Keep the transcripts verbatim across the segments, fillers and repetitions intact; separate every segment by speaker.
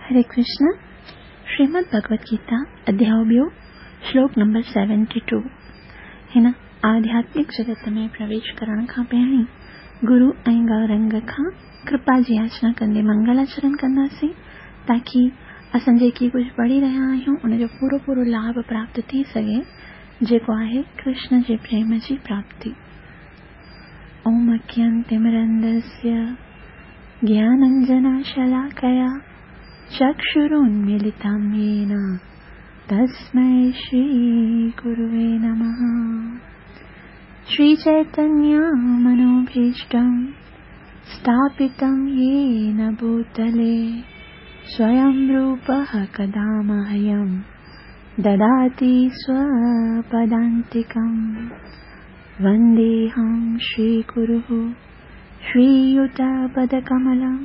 Speaker 1: हरे कृष्ण। श्रीमद् भगवत गीता अध्याय ॿियो श्लोक नंबर सेवेंटी टू। हिन आध्यात्मिक जगत में प्रवेश करण खां पहिरीं गुरु ऐं गौरंग खां कृपा जी याचना कंदे मंगलाचरण कंदासीं ताकी असां जेकी कुझु पढ़ी रहिया आहियूं उनजो पूरो पूरो लाभ प्राप्त थी सघे, जेको आहे कृष्ण जे प्रेम जी प्राप्ति। ओम अज्ञानतिमिरन्धस्य ज्ञानाञ्जनशलाकया चक्षुरुन्मीलितं येन तस्मै श्रीगुरुवे नमः। श्रीचैतन्यमनोभीष्टं स्थापितं येन भूतले स्वयं रूपः कदा मह्यं ददाति स्वपदान्तिकं। वन्देऽहं श्रीगुरुः श्रीयुतपदकमलं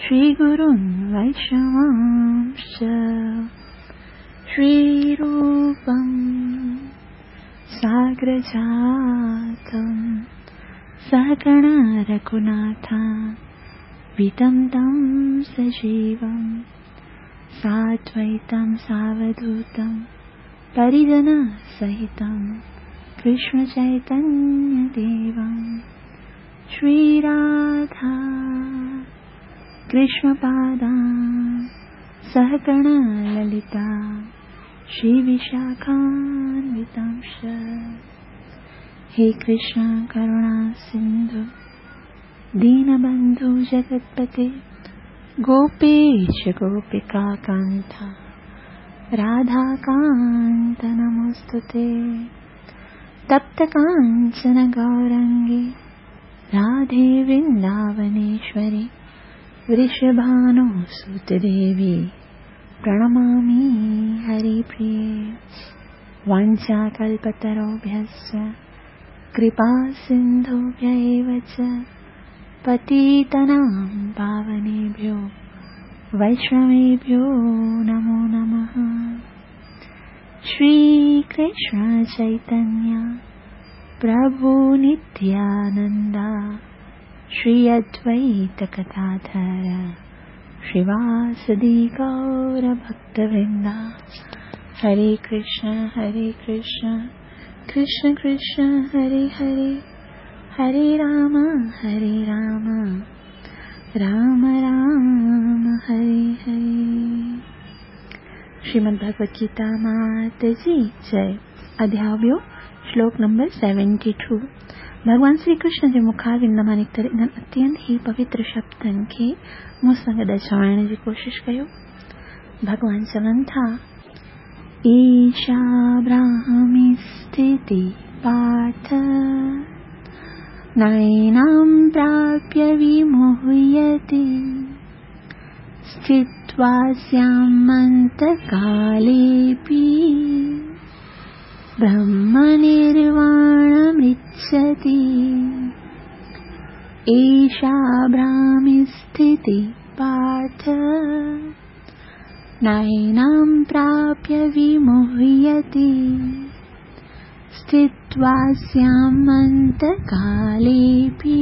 Speaker 1: श्रीगुरुन् वैष्णवांश्च। श्रीरूपं साग्रजातं सहगण रघुनाथान्वितं तं सजीवं साद्वैतं सावधूतं परिजनसहितं कृष्णचैतन्यदेवं। श्रीराधा कृष्णपादां सहगण ललिता श्रीविशाखान्वितांश्च। हे कृष्ण करुणा सिंधु दीनबंधु जगत्पते गोपेश गोपिका कांता राधाकांत नमोस्तुते। तप्त कांचन गौरंगी राधे वृंदावनेश्वरी वृषभानुसुते देवी प्रणमामि हरिप्रिये। वाञ्छाकल्पतरुभ्यश्च कृपा सिन्धुभ्य एव च पतितानां पावनेभ्यो वैष्णवेभ्यो नमो नमः। श्रीकृष्ण चैतन्य प्रभु नित्यानन्द श्री अद्वैत गदाधर श्रीवासदि गौर भक्तवृंदा। हरे कृष्ण हरे कृष्ण कृष्ण कृष्ण हरे हरे, हरे राम हरे राम राम राम हरे हरे। श्रीमद् भगवत गीता मात जी जय। अध्याय ॿियो श्लोक नंबर सेवेंटी टू। भॻवान श्री कृष्ण जे मुखारविंद मां निकितल इन्हनि अत्यंत ई पवित्र शब्दनि खे मूं सां गॾु चवण जी कोशिशि कयो। भॻवान चवनि था, ईशा ब्राह्मी स्थिति पार्थ नैनां प्राप्य विमुह्यति स्थित्वा स्यामन्तकालेऽपि ब्रह्मनिर्वाणमृच्छति। एषा ब्राह्मी स्थिति पार्थ नैनां प्राप्य विमुह्यति स्थित्वा स्यामन्तकालेऽपि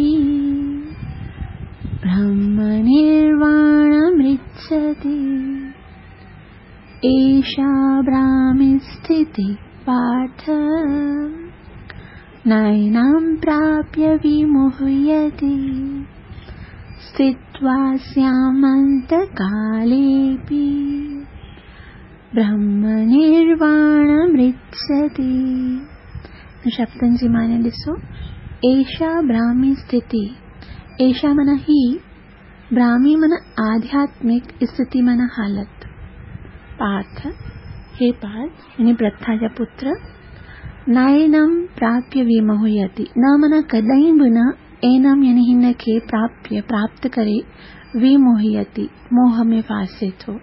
Speaker 1: ब्रह्मनिर्वाणमृच्छति। एषा ब्राह्मी स्थिति पार्थ नैनां प्राप्य विमुह्यति स्थित्वा स्यामन्तकालेऽपि ब्रह्मनिर्वाणमृच्छति। शब्दनि जी माने ॾिसो, एषा ब्राह्मी स्थिति, एषा माना ही, ब्राह्मी माना आध्यात्मिक स्थिति माना हालत। पार्थ, हे पार्थ यानी प्रथा जा पुत्र, नैनम प्राप्य विमुह्यति, न माना कॾहिं बि न, एनम यानी हिन खे प्राप्य प्राप्त करे, विमुह्यति मोह में फासे थो।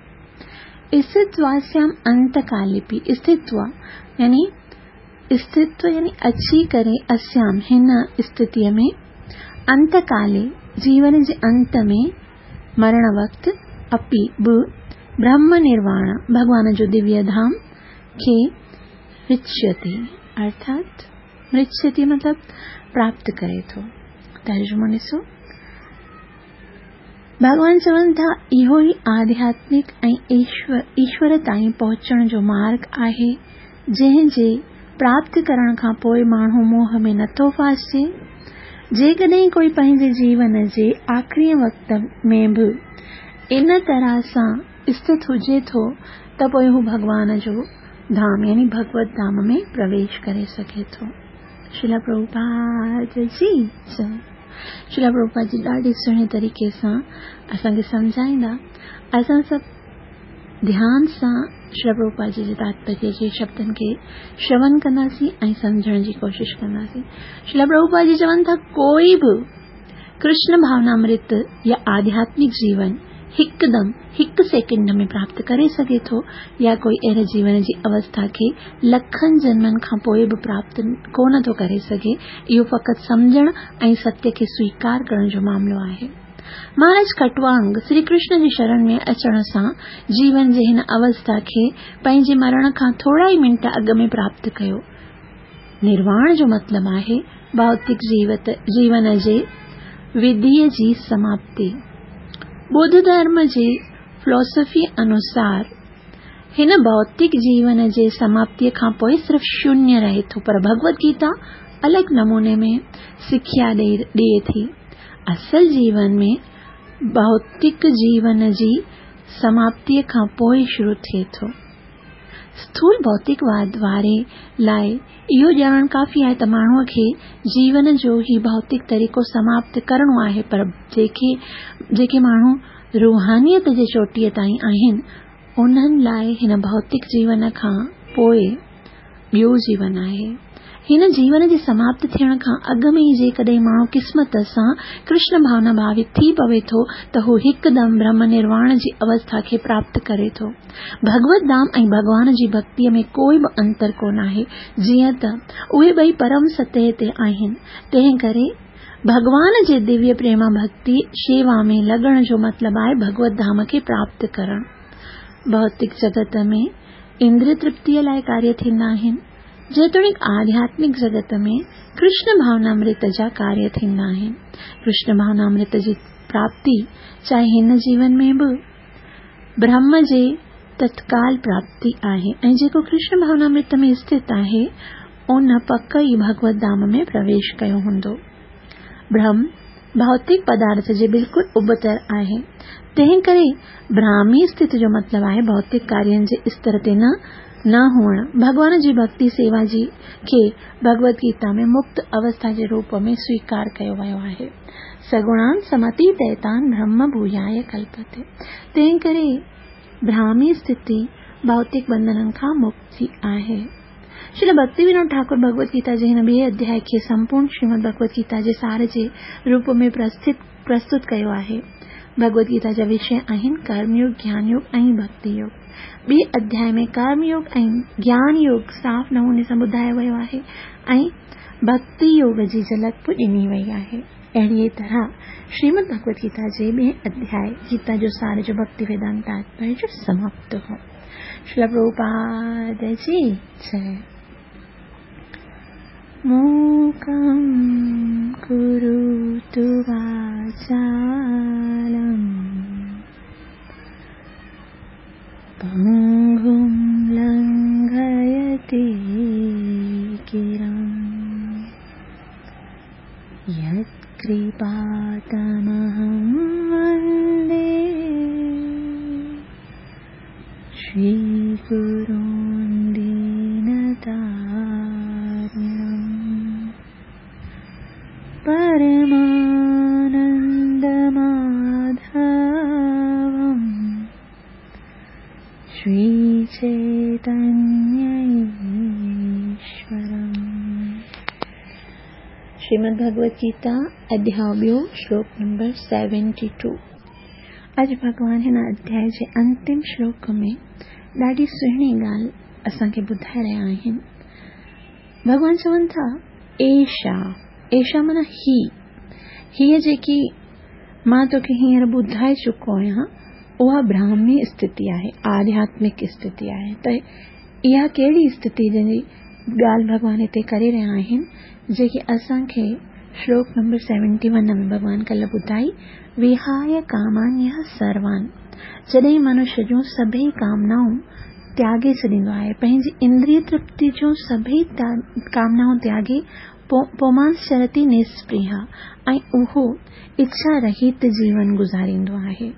Speaker 1: स्थित्वास्याम अंतकालेपि, स्थित्वा यानी स्थित्व यानी अची करे, अस्याम हिन स्थितीअ में, अंतकाले जीवन जे अंत में, मरण वक़्त, अपि बि ब्रह्म निर्वाण भॻवान जो दिव्य धाम खे मृच्छति, अर्थात मृच्छति मतलब प्राप्त करे थो। तर्जुमो ॾिसो, भॻवान चवनि था, इहो ई आध्यात्मिक ऐं ईश्वर ताईं पहुचण जो मार्ग आहे, जंहिं जे प्राप्त करण खां पोइ माण्हू मोह में नथो फासिजे। जेकॾहिं कोई पंहिंजे जीवन जे आख़िरी वक़्त में बि इन तरह सां स्थित हुजे थो त पोइ हू भॻवान जो धाम यानी भगवत धाम में प्रवेश करे सघे थो। श्रील प्रभुपाद जी जय। श्रील प्रभुपाद जी ॾाढे सुहिणे तरीक़े सां असांखे सम्झाईंदा। असां सभु ध्यान सां श्रील प्रभुपाद जी जे तात्पर्य जे शब्दनि खे श्रवण कंदासीं ऐं सम्झण जी कोशिशि कंदासीं। श्रील प्रभुपाद जी चवनि था, कोई बि कृष्ण भावनामृत या आध्यात्मिक जीवन हिकदमि हिकु सेकंड में प्राप्त करे सघे थो या कोई अहिड़े जीवन जी अवस्था खे लखनि जन्मनि खां पोइ बि प्राप्त कोन थो करे सघे। इहो फ़क़ति सम्झण ऐं सत्य खे स्वीकार करण जो मामिलो आहे। महाराज खटवांग श्री कृष्ण जी शरण में अचण सां जीवन जे हिन अवस्था खे पंहिंजे मरण खां थोरा ई मिंट अॻु में प्राप्त कयो। निर्वाण जो मतिलबु आहे भौतिक जीवत जीवन जे विधीअ जी समाप्ति। बुद्ध धर्म जी फिलॉसफी अनुसार हिन भौतिक जीवन जे समाप्तीअ खां पोइ सिर्फ़ शून्य रहे थो, पर भगवत गीता अलॻि नमूने में सिख्या ॾिए थी। असल जीवन में भौतिक जीवन जी समाप्तीअ खां पोइ शुरू थिए थो। स्थूल भौतिकवाद वारे लाइ इहो ॼाणणु काफ़ी आहे त माण्हूअ खे जीवन जो ही भौतिक तरीक़ो समाप्त करिणो आहे, पर जेके जेके माण्हू रूहानियत जे चोटीअ ताईं आहिनि उन्हनि लाइ हिन भौतिक जीवन खां पोइ ॿियो जीवन आहे। हिन जीवन जे समाप्त थियण खां अॻु में ई जेकॾहिं माण्हू क़िस्मत सां कृष्ण भावना भावित थी पवे थो त हू हिकदमि ब्रह्म निर्वाण जी अवस्था खे प्राप्त करे थो। भगवत धाम ऐं भॻवान जी भक्तीअ में कोई बि अंतर कोन आहे, जीअं त उहे ॿई परम सतह ते आहिनि। तंहिं करे भॻवान जे दिव्य प्रेमा भक्ति शेवा में लॻण जो मतिलबु आहे भगवत धाम खे प्राप्त करणु। भौतिक जगत में इंद्रिय तृप्तीअ लाइ कार्य थींदा आहिनि, जेतोणीकि आध्यात्मिक जगत में कृष्ण भावनामृत जा कार्य थींदा आहिनि। कृष्ण भावनामृत जी प्राप्ति चाहे हिन जीवन में बि ब्रह्म जे तत्काल प्राप्ति आहे ऐं जेको कृष्ण भावनामृत में स्थित आहे उन पक ई भगवत धाम में प्रवेश कयो हूंदो। ब्रह्म भौतिक पदार्थ जे बिल्कुलु उबतर आहे, तंहिं करे ब्राह्मी स्थिति जो मतिलबु आहे भौतिक कार्यनि जे स्तर ते न न हुअणु। भॻवान जी भक्ति सेवा जी खे भगवत गीता में मुक्त अवस्था जे रूप में स्वीकार कयो वियो आहे। सगुणान समतीतैतान ब्रह्म भूयाय कल्पते। तंहिं करे ब्राह्मी स्थिति भौतिक बंधननि खां मुक्ति आहे। श्रील भक्ति विनोद ठाकुर भगवत गीता जे हिन ॿिए अध्याय खे संपूर्ण श्रीमद भगवत गीता जे सार जे रूप में प्रस्थित प्रस्तुत कयो आहे। भगवत गीता जा विषय आहिनि कर्मयोग, ज्ञानयोग ऐं भक्ति योग। ॿिए अध्याय में कर्मयोग ऐं ज्ञान योग साफ़ नमूने सां ॿुधायो वियो आहे ऐं भक्ति योग जी झलक बि ॾिनी वई आहे। अहिड़ीअ तरह श्रीमद भगवत गीता जे ॿिए अध्याय गीता जो सार जो भक्ति वेदांत तात्पर्य जो समाप्त हो। श्रील प्रभुपाद जी जय। मूकं करोतु वाचालं पङ्गुं लङ्घयते गिरिं यत्कृपातमहं वन्दे श्रीगुरुं दीनतारिणं परमानन्दमाधवं श्रीचैतन्यईश्वरम्। श्रीमद् भगवत गीता अध्याय ॿियो श्लोक नंबर सेवेंटी टू। अॼु भॻवान हिन अध्याय जे अंतिम श्लोक में ॾाढी सुहिणी ॻाल्हि असांखे ॿुधाए रहिया आहिनि। भॻवान चवनि था, एषा एषा माना ही, हीअ जेकी मां तोखे हींअर ॿुधाए चुको आहियां उहा ब्राह्मी स्थिति आहे, आध्यात्मिक स्थिति आहे। त इहा कहिड़ी स्थिति जंहिंजी ॻाल्हि भॻवान हिते करे रहिया आहिनि, जेकी असांखे شلوڪ نمبر سيونٽي ون ۾ ڀڳوان ڪلهه ٻڌائي، وهاي ڪامانيه سروان، جڏهن منشيه جون سڀئي ڪامنائون تياڳي ڇڏيندو آهي، پنهنجي اندريه ترپتي جون سڀئي ڪامنائون تياڳي پومانسچرتي نسپرها ۽ اهو اڇا رهت جيون گذاريندو آهي.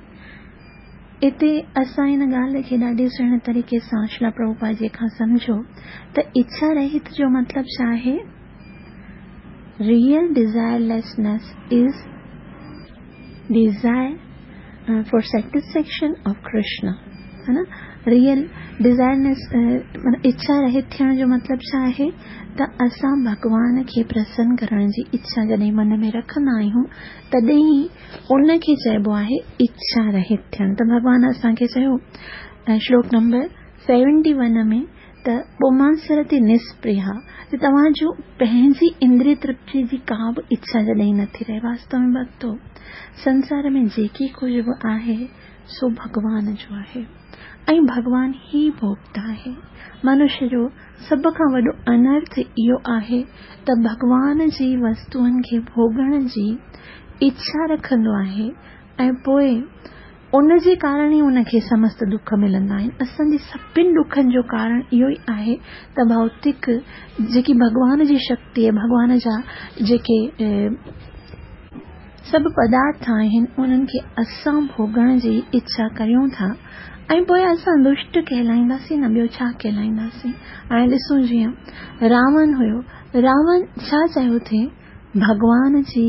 Speaker 1: اتي اسان ان ڳالهه کي ڏاڍي سهڻي طريقي سان شريلا پرڀوپاد جي کان سمجهيو ته اڇا رهت جو مطلب ڇا آهي؟ Real desirelessness is desire for satisfaction of Krishna, ها نه؟ ريئل ڊزائرنيس معنيٰ اڇا رهت ٿيڻ جو مطلب ڇا آهي؟ ته اسان ڀڳوان کي پرسن ڪرڻ جي اڇا جڏهن من ۾ رکندا آهيون تڏهن ئي ان کي چئبو آهي اڇا رهت ٿيڻ. ته ڀڳوان اسان کي چيو شلوڪ نمبر سيونٽي ون ۾ ته پومانسرتي نسپرها، ته توهان جو پنهنجي اندريه ترپتي جي ڪا به اڇا جڏهن نٿي رهي. واستو ۾ ڀڳتو، سنسار ۾ جيڪي ڪجهه به آهي سو ڀڳوان جو آهي ۽ ڀڳوان ئي ڀوڳتا آهي. منشيه جو سڀ کان وڏو انرٿ اهو آهي ته ڀڳوان جي وستوئن کي ڀوڳڻ جي اڇا رکندو آهي ۽ پوءِ ان جي ڪارڻ ئي ان کي سمست دک ملندا آهن. اسان جي سڀني ڏکن جو ڪارڻ اهو ئي آهي ته ڀوتڪ جيڪي ڀڳوان جي شڪتي، ڀڳوان جا جيڪي سڀ پدارٿ آهن انهن کي اسان ڀوڳڻ جي اڇا ڪريون ٿا ۽ پوءِ اسان دشٽ ڪهلائينداسين نه ٻيو ڇا ڪهلائينداسين. هاڻي ڏسون جيئن راوڻ هيو، راوڻ ڇا چاهيو ٿي؟ ڀڳوان جي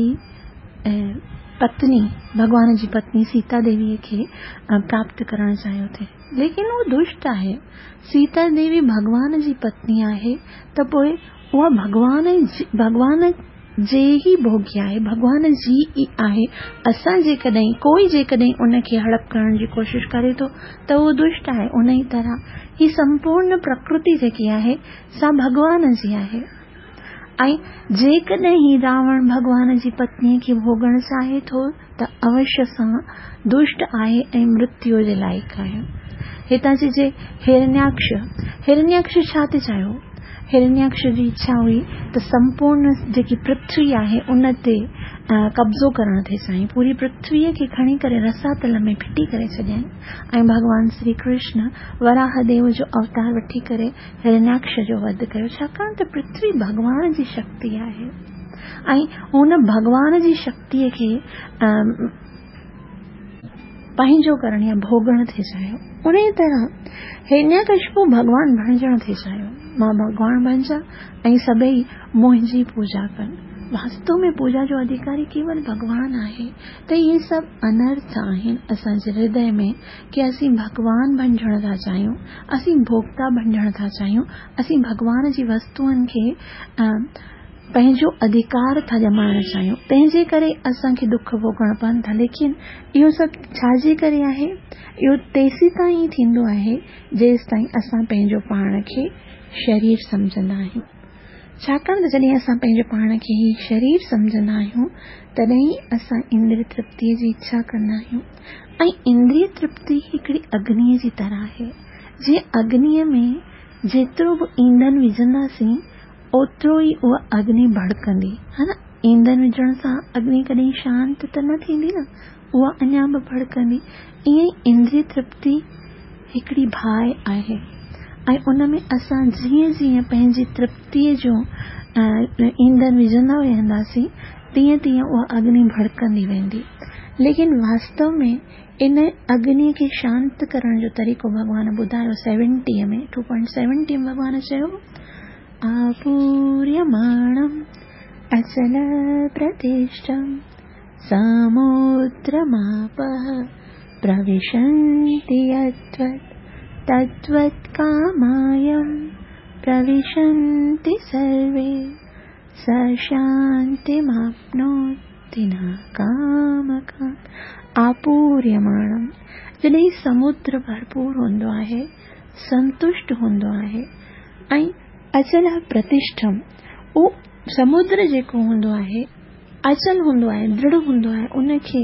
Speaker 1: پتني، ڀڳوان جي پتني سيتا ديويءَ کي پراپت ڪرڻ چاهيو ٿي، ليڪن اهو دشٽ آهي. سيتا ديوي ڀڳوان جي پتني آهي ته پوءِ اها ڀڳوان جي، ڀڳوان جي ئي ڀوڳيه آهي، ڀڳوان جي ئي آهي. اسان جيڪڏهن ڪوئي جيڪڏهن ان کي هڙپ ڪرڻ جي ڪوشش ڪري ٿو ته اهو دشٽ آهي. ان ئي طرح هي سمپورڻ پرڪرتي جيڪي آهي سا ڀڳوان جي آهي ۽ جيڪڏهن هي راوڻ ڀڳوان جي پتنيءَ کي ڀوڳڻ چاهي ٿو ته اوشيه سان دشٽ آهي ۽ مرتيو جي لائق آهي. هتان چئجي هرڻياڪش، هرڻياڪش ڇا ٿي چاهيو؟ هرڻياڪش جي اڇا هئي ته سمپورڻ جيڪي پرٿوي آهي ان تي قبضو ڪرڻ ٿي چاهين، پوري پرٿويءَ کي کڻي ڪري رساتل ۾ ڦٽي ڪري ڇڏيائين ۽ ڀڳوان شري ڪرشن وراهه ديو جو اوتار وٺي ڪري هرڻياڪش جو وڌ ڪيو، ڇاڪاڻ ته پرٿوي ڀڳوان جي شڪتي آهي ۽ هن ڀڳوان جي شڪتيءَ کي پنهنجو ڪرڻ يا ڀوڳڻ ٿي چاهيو. ان ئي طرح هرڻياڪشپو ڀڳوان بڻجڻ ٿي چاهيو، مان ڀڳوان بڻجان ۽ سڀئي منهنجي پوڄا ڪن. واستو ۾ پوڄا جو اڌڪاري ڪيول ڀڳوان آهي. ته اهي سڀ انرٿ آهن اسان جي هردي ۾ ڪه اسين ڀڳوان بڻجڻ ٿا چاهيون، اسين ڀوڳتا بڻجڻ ٿا چاهيون، اسين ڀڳوان جي وستوئن کي پنهنجو اڌڪار ٿا ڄمائڻ چاهيون، تنهن جي ڪري اسان کي دک ڀوڳڻ پون ٿا. ليڪن اهو سڀ ڇا جي ڪري آهي؟ اهو تيسين تائين ئي ٿيندو آهي جيس تائين اسان پنهنجو پاڻ کي شرير سمجهندا آهيون. ڇاڪاڻ ته جڏهن اسان پنهنجو پاڻ کي ئي شرير سمجهندا آهيون تڏهن ئي اسان اندريه ترپتيءَ جي اڇا ڪندا آهيون ۽ اندريه ترپتي هڪڙي اگنيءَ جي طرح آهي. جيئن اگنيءَ ۾ جيترو به اينڌن وجهنداسين اوترو ئي اها اگني ڀڙڪندي، ها نه؟ اينڌن وجهڻ سان اگني ڪڏهن شانت ته نه ٿيندي نه، اها اڃا به ڀڙڪندي. ائين ئي اندريه ترپتي هڪڙي باهه آهي ۽ ان ۾ اسان جيئن جيئن پنهنجي ترپتيءَ جو اينڌن وجهندا وينداسين تيئن تيئن اها اگني ڀڙڪندي ويندي. ليڪن واستو ۾ ان اگنيءَ کي شانت ڪرڻ جو طريقو ڀڳوان ٻڌايو سيونٽيءَ ۾ ٽو پوائنٽ سيونٽي ۾ ڀڳوان چيو آپوريماڻم اچل پرتشٺم سمدرماپः پروشنتي يدوت تدوت ڪامايم پروشنتي سروي س شانتيماپنوتي نه ڪامڪام. آپوريماڻم، جڏهن سمدر ڀرپور هوندو آهي، سنتشٽ هوندو آهي ۽ اچل پرتشٺم، اهو سمدر جيڪو هوندو آهي اچل هوندو آهي، درڙهه هوندو آهي، ان کي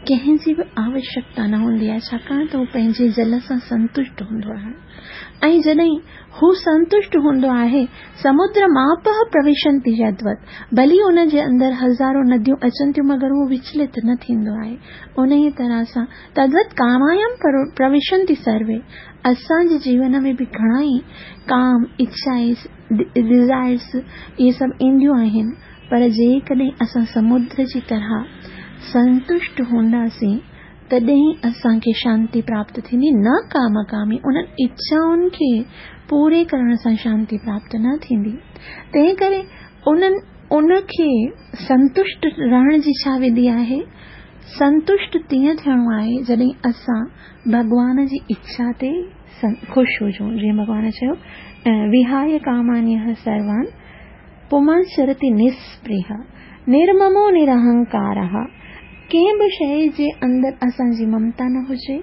Speaker 1: कंहिंजी बि आवश्यकता न हूंदी आहे, छाकाणि त हू पंहिंजे जल सां संतुष्ट हूंदो आहे। ऐं जॾहिं हू संतुष्ट हूंदो आहे, समुद्र मापः प्रविशन्ति यद्वत्, भली उन जे अंदरि हज़ारो नदियूं अचनि थियूं मगर उहो विचलित न थींदो आहे। उन ई तरह सां तद्वत् कामायां प्रविशन्ति सर्वे, असांजे जीवन में बि घणा ई काम, इच्छा, डिज़ायर्स इहे सभु ईंदियूं आहिनि, पर जेकॾहिं असां समुद्र जी तरह संतुष्ट हूंदासीं तॾहिं असांखे शांति प्राप्त थींदी, न काम कामी, उन्हनि इच्छाउनि खे पूरे करण सां शांति प्राप्त न थींदी। तंहिं करे उन्हनि उनखे संतुष्ट रहण जी छा विधि आहे? संतुष्ट तीअं थियणो आहे जॾहिं असां भॻवान जी इच्छा ते ख़ुशि हुजूं। जीअं भॻवान चयो, विहाय कामान्यः सर्वान् पुमांश्चरति निस्पृह निर्ममो निरहंकारः। कंहिं बि शइ जे अंदरि असांजी ममता न हुजे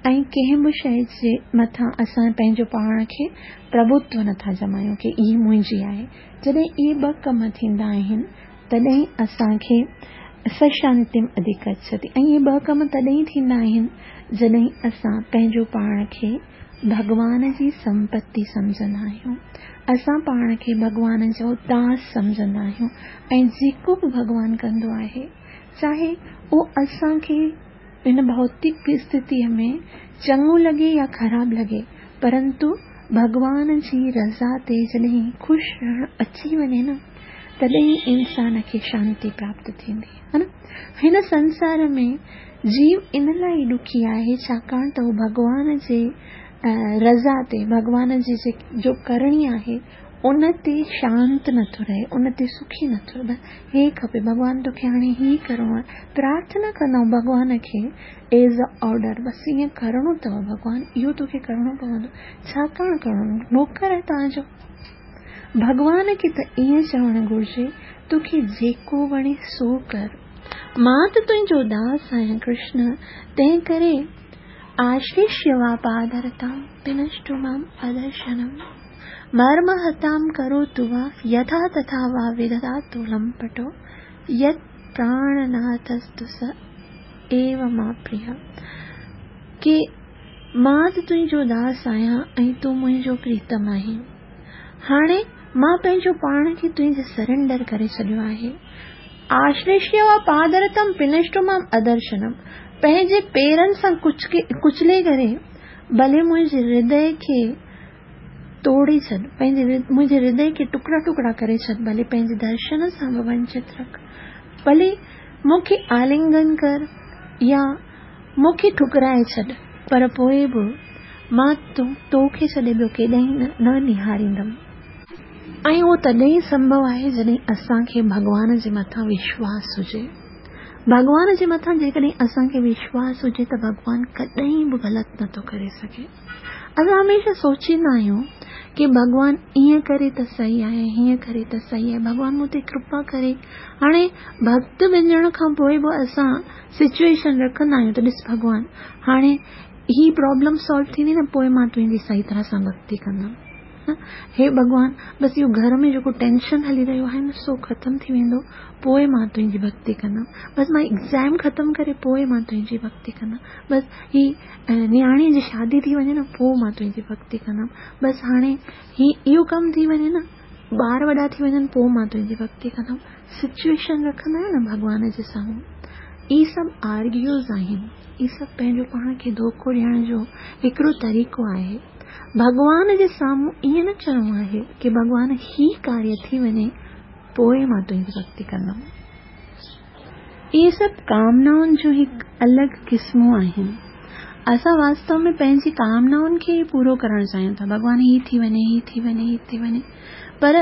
Speaker 1: ऐं कंहिं बि शइ जे मथां असां पंहिंजो पाण खे प्रभुत्व नथा जमायूं की इहा मुंहिंजी आहे। जॾहिं इहे ॿ कम थींदा आहिनि तॾहिं असांखे सशांतिम अधिगच्छति। ऐं इहे ॿ कम तॾहिं थींदा आहिनि जॾहिं असां पंहिंजो पाण खे भॻवान जी संपत्ति सम्झंदा आहियूं, असां पाण खे भॻवान जो दास सम्झंदा आहियूं ऐं जेको बि भॻवान कंदो आहे, चाहे उहो असांखे हिन भौतिक स्थितीअ में चङो लॻे या ख़राबु लॻे, परंतु भॻवान जी रज़ा ते जॾहिं ख़ुशि रहणु अची वञे न, तॾहिं इंसान खे शांति प्राप्त थींदी, हा न। हिन संसार में जीव इन लाइ ॾुखी आहे छाकाणि त उहो भॻवान जे रज़ा ते, भॻवान जी जो करणी आहे उन ते शांत नथो रहे, उन ते सुखी नथो रहे। हे खपे भॻवान तोखे हाणे ही करिणो आहे, प्रार्थना कंदा आहियूं भॻवान खे एज़ अ ऑर्डर, बसि ईअं करिणो अथव भॻवान, इहो तोखे करिणो पवंदो। छाकाणि करिणो? नौकर आहे तव्हांजो। भॻवान खे त ईअं चवणु घुरिजे, तोखे जेको वणे सो कर, मां त तुंहिंजो दास आहियां कृष्ण, तंहिं करे आश्लिष्य वा पादरतां पिनष्टु माम् अदर्शनम् मर्महतां करोतु वा यथा तथा वा विदधातु लम्पटो यत् प्राणनाथस्तु स एव मा प्रिय। की मां त तुंहिंजो दास आहियां ऐं तूं मुंहिंजो प्रीतम आहीं, हाणे मां पंहिंजो पाण खे तुंहिंजे सरेंडर करे छॾियो आहे। आश्लिष्य वा पादरतम पिनष्टु माम् अदर्शनम, पंहिंजे पेरनि सां कुचले करे भले मुंहिंजे हृदय खे तोड़े छॾ, पंहिंजे मुंहिंजे हृदय खे टुकड़ा टुकड़ा करे छॾ, भले पंहिंजे दर्शन सां बि वंचित रख, भले मूंखे आलिंगन कर या मूंखे ठुकराए छॾ, पर पोइ बि मां तोखे छॾे ॿियो केॾां न निहारींदमि। ऐं उहो तॾहिं संभव आहे जॾहिं असांखे भॻवान जे मथां विश्वास हुजे। भॻवान जे मथां जेकॾहिं असांखे विश्वास हुजे त भॻवान कॾहिं बि ग़लति नथो करे सघे। असां हमेशह सोचींदा आहियूं की भॻवान ईअं करे त सही आहे, हीअं करे त सही आहे, भॻवान मूं ते कृपा करे। हाणे भक्त वञण खां पोइ बि असां सिचुएशन रखंदा आहियूं त ॾिस भॻवान, हाणे ही प्रॉब्लम सॉल्व थींदी न, पोइ मां तुंहिंजी सही तरह सां भक्ति कंदमि। हे भॻवान, बसि इहो घर में जेको टेंशन हली रहियो आहे न, सो ख़तमु थी वेंदो, पोइ मां तुंहिंजी भक्ति कंदमि। बसि मां एग्ज़ाम ख़तमु करे पोइ मां तुंहिंजी भक्ति कंदमि। बसि ही नियाणीअ जी शादी थी वञे न, पोइ मां तुंहिंजी भक्ति कंदमि। बसि हाणे ही इहो कमु थी वञे न, ॿार वॾा थी वञनि, पोइ मां तुंहिंजी भक्ति कंदमि। सिचुएशन रखंदा आहियूं न भॻवान जे साम्हूं। इहे सभु आर्ग्यूज़ आहिनि, इहे सभु पंहिंजो पाण खे धोखो ॾियण जो हिकिड़ो तरीक़ो आहे। भॻवान जे साम्हूं ईअं न चवणो आहे की भॻवान ही कार्य थी वञे पोइ मां तुंहिंजी भक्ति कंदमि। इहे सभु कामनाउनि जो हिकु अलॻि क़िस्मूं आहिनि। असां वास्तव में पंहिंजी कामनाउनि खे ई पूरो करणु चाहियूं था, भॻवान ही थी वञे, ही थी वञे, ही थी वञे। पर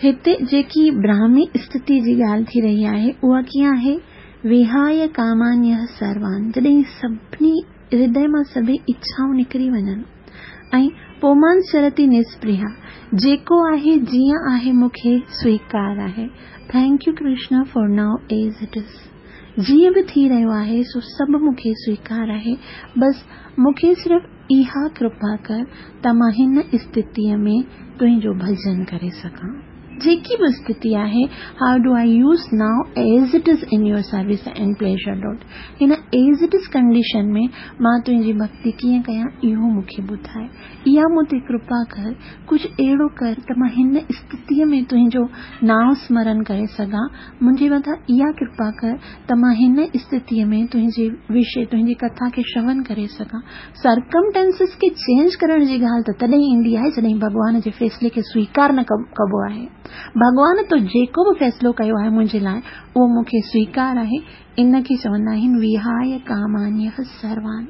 Speaker 1: हिते जेकी ब्राह्मी स्थिति जी ॻाल्हि थी रही आहे उहा कीअं आहे? विहाय कामान्यः सर्वान्, जॾहिं सभिनी हृदय मां सभई इच्छाऊं निकिरी वञनि ऐं पुमांश्चरति निस्पृहा, जेको आहे जीअं आहे मूंखे स्वीकार आहे। Thank you Krishna for now as it is. जीअं बि थी रहियो आहे सो सभु मूंखे स्वीकार आहे, बसि मूंखे सिर्फ़ इहा कृपा कर त मां हिन स्थितीअ में तुंहिंजो भजन करे सघां। जेकी बि स्थिति आहे, how do I use now as it is in your service and pleasure Lord. Hin as it is condition में मां तुंहिंजी भक्ति कीअं कयां इहो मूंखे ॿुधाए। इहा मूं ते कृपा कर, कुझु अहिड़ो कर त मां हिन स्थितीअ में तुंहिंजो नांव स्मरण करे सघां। मुंहिंजे मथां इहा कृपा कर त मां हिन स्थितीअ में तुंहिंजे विषय, तुंहिंजी कथा खे श्रवण करे सघां। सर्कमटेंसिस खे चेंज करण जी ॻाल्हि त तॾहिं ईंदी आहे जॾहिं भॻवान जे फ़ैसिले खे स्वीकार न कबो आहे। भॻवान तो जेको बि फ़ैसिलो कयो आहे मुंहिंजे लाइ उहो मूंखे स्वीकार आहे। इन खे चवंदा आहिनि विहाय कामान्यः सर्वान्।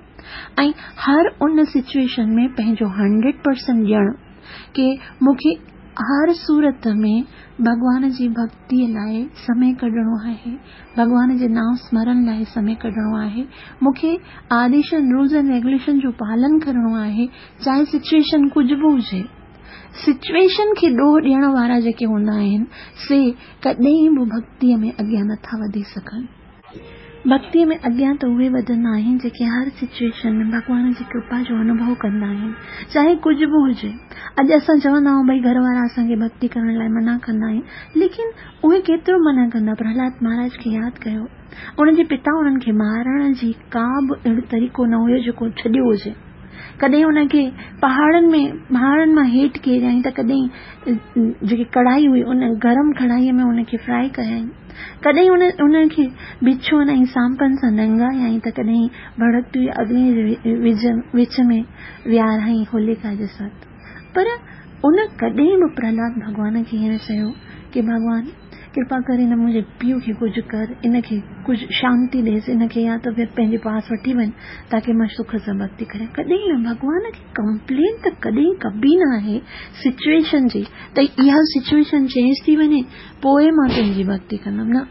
Speaker 1: ऐं हर उन सिचुएशन में पंहिंजो हंड्रेड परसेंट ॾियणु की मूंखे हर सूरत में भॻवान जी भक्तीअ लाइ समय कढिणो आहे, भॻवान जे नांव स्मरण लाइ समय कढिणो आहे, मूंखे आदेशनि, रूल्स एंड रेगुलेशन जो पालन करिणो आहे, चाहे सिचुएशन कुझु बि हुजे। सिचुएशन खे ॾोह ॾियण वारा जेके हूंदा आहिनि से कॾहिं बि भक्तीअ में अॻियां नथा वधी सघनि। भक्तीअ में अॻियां त उहे वधंदा आहिनि जेके हर सिचुएशन में भॻवान जी कृपा जो अनुभव कंदा आहिनि, चाहे कुझु बि हुजे। अॼु असां चवंदा आहियूं भई घर वारा असांखे भक्ति करण लाइ मना कंदा आहिनि, लेकिन उहे केतिरो मना कंदा। प्रहलाद महाराज खे यादि कयो, उनजे पिता उन्हनि खे मारण जी का बि अहिड़ो तरीक़ो न हुयो जेको छॾियो हुजे। कॾहिं उनखे पहाड़नि में, पहाड़नि मां हेठि केरियईं त कॾहिं जेकी कढ़ाई हुई उन गरम कढ़ाईअ में उनखे फ्राई कयईं, कॾहिं उन उनखे बिछुअनि ऐं सांपनि सां ॾंगायईं त कॾहिं भड़कती अग्नि जे विच में विहाराई होलिका जे साथ। पर उन कॾहिं बि प्रहलाद भॻवान खे ईअं चयो की भॻवान कृपा करे हिन मुंहिंजे पीउ खे कुझु कर, इनखे कुझु शांति ॾेसि, इनखे या त फिर पंहिंजे पास वठी वञ ताकि मां सुख सां भक्ति करियां। कॾहिं न, भॻवान खे कंप्लेन त कॾहिं कबी न आहे सिचुएशन जी त इहा सिचुएशन चेंज थी वञे पोइ मां तुंहिंजी भक्ति कंदमि। न,